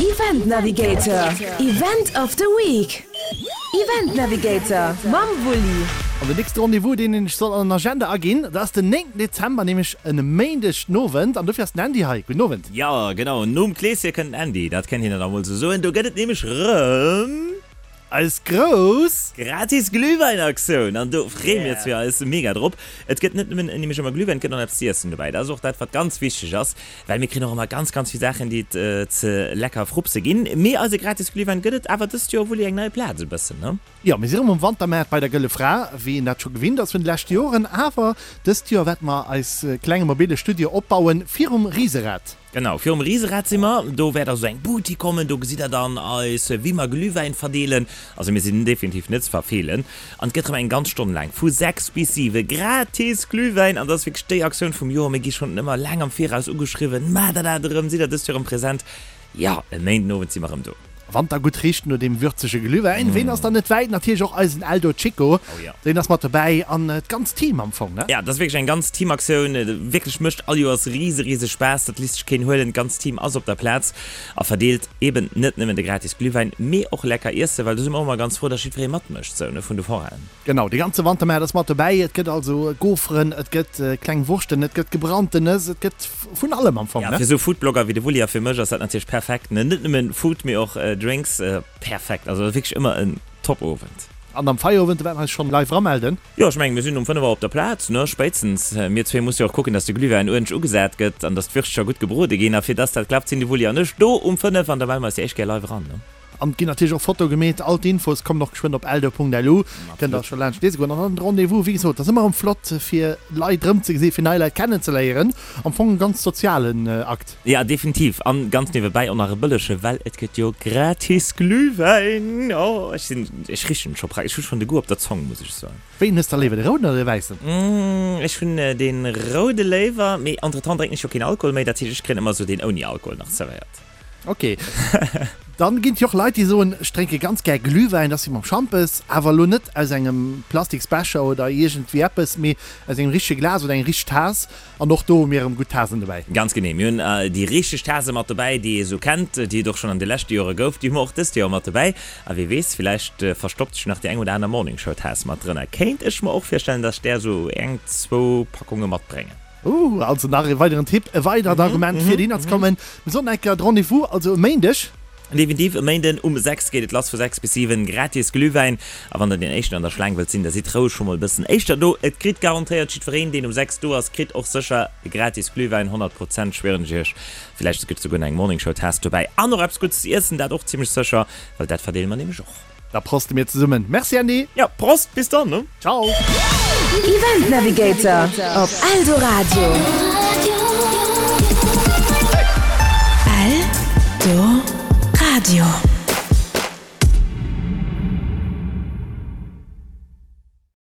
Event Navigator, Event of the Week. Event Navigator mam Wulli. An den nächste Rendez-vous, deen een ech soll an den Agenda aginn, dat ass den 9 Dezember, nämlech en Méindeg den Owend. An dofir ass den Andy hei. Gudden Owend. Jo, genau, nom Kleeschen kënnt den Andy, dat kennt een dann emol sou soen. Do gëtt et nämlech rëm. Eis grouss. Gratis Glühwäinaktioun! An do freeë mir zwee eis mega drop. Et gëtt net nëmmen nämlech ëmmer Glühwäin, et gëtt och nach eppes z'iessen dobäi. Dat ass och dat, wat ganz wichteg ass, well mir kréien och ëmmer ganz, ganz vill Saachen, déi et ze lecker frupse ginn. Mee eise gratis Glühwäin gëtt et awer dëst Joer wuel eng nei Plaz e bëssen, ne? Jo, mir si rëm um Wantermaart bei der Gëlle Fra, wéi een dat scho gewinnt ass vun de leschte Joren. Awer dëst Joer wäerte mer eis klenge mobile Studio opbauen virum Riserad. Genau, virum Riserad si mer. Do wäert also eng Booty kommen, do gesitt der dann eis, wéi mer Glühwäin verdeelen. Also mir sinn definitiv net ze verfeelen. An et gëtt erëm eng ganz Stonn laang, vu 6 bis 7, gratis Glühwäin. An dat ass wierklech déi Aktioun vum Joer. Mir gi schonn ëmmer laang am Viraus ugeschriwwen, Maacht der dat erëm? Sidd der dëst Joer erëm present? Jo, e Méindenowend si mer erëm do. Wann der gutt richt no deem würzege Glühwäin, ween ass dann net wäit? Natierlech och eisen Eldo Chico, deen ass mat dobäi an d'ganzt Team am Fong, ne? Ja, dat ass wierklech eng ganz Teamaktioun, wierklech mécht all Joers rise rise Spaass, dat lisst sech keen huelen. D'ganzt Team ass op der Plaz a verdeelt eben net nëmmen de gratis Glühwäin, mee och lecker Iessen, well do si mer och ëmmer ganz frou, dass jiddweree matmécht, sou, ne, vun de Forainen. Genau, de ganze Wantermaart ass mat dobäi. Et gëtt also Goferen, et gëtt kleng Wurschten, et gëtt gebrannten Nëss, et gëtt vun allem am Fong, ne? Ja, fir esou Foodblogger wéi de Wulli a fir mech ass dat natierlech perfekt, ne? Net nëmmen Food, mee och Drinks, perfekt. Also wierklech ëmmer en top Owend. An am Feierowend, do wäerte mer eis schonn live eramelden. Jo, ech mengen, mir sinn um 5 Auer op der Plaz, ne? Spéitstens. Mir zwee musse jo och kucken, dass de Glühwäin uerdentlech ugesat gëtt an dass d'Würschtcher gutt gebrode ginn. A fir dass dat klappt, sinn de Wulli an ech do um 5 an da melle mer eis déi éischt Kéier live eran, ne? An et ginn natierlech och Fotoe gemeet. All d'Infos kommen och geschwënn op eldo.lu. Kënnt der scho laanscht liese goen. An dann de Rendez-vous, wéi gesot, ass ëmmer erëm flott fir Leit erëmzegesinn, fir nei Leit kennenzeléieren. Am Fong e ganz sozialen Akt. Ja, definitiv. An ganz niewebäi och nach e bëllege, well et gëtt jo gratis Glühwäin. Oh, ech sinn, ech richen scho praktesch, ech hu schonn de Goût op der Zong, muss ech soen. Wéi hues der léiwer, de rouden oder de wäissen? Ech hunn dee roude léiwer, mee entretemps drénken ech jo keen Alkohol méi, dat heescht, ech kréien ëmmer esou deen ouni Alkohol nach zerwéiert. Ok. Dann ginn et jo och Leit, déi soen, ech drénke ganz gär Glühwäin, dat ass wéi mam Schampes, awer elo net aus engem Plastiksbecher oder iergendwéi eppes, mee aus engem richtege Glas oder eng richteg Taass. An och do hu mir erëm gutt Taasen dobäi. Ganz genee. Mir hunn déi richteg Taase mat dobäi, déi ee sou kennt, déi et och schonn an de leschte Jore gouf. Déi hu mer och dëst Joer mat dobäi. A wie weess, villäicht verstoppt sech nach déi eng oder aner Morningshow-Taass mat drënner. Kéint ech mer och virstellen, dass ech där esou eng, zwou Packunge matbréngen. Ooh, also nach e weideren Tipp, e weidert Argument fir dohinner ze kommen. Mir soen enker de Rendez-vous, also e Méindeg. Definitiv, e Méinden um 6 geet et lass, vu 6 bis 7 gratis Glühwäin. A wann der deen éischten an der Schlaang wëllt sinn, da sidd roueg scho mol e bëssen éischter do. Et kritt garantéiert jiddwereen, deen um 6 do ass, kritt och sécher e gratis Glühwäin, 100 Prozent, schwieren ech iech. Villäicht gëtt souguer nach eng Morning Show Taass dobäi an och eppes Guddes ze iessen, dat och zimmlech sécher, well dat verdeele mer nämlech och. Da proste mir zesummen. Merci Andy! Ja, Prost, bis dann ne! Ciao! Event Navigator op Eldoradio. Eldoradio.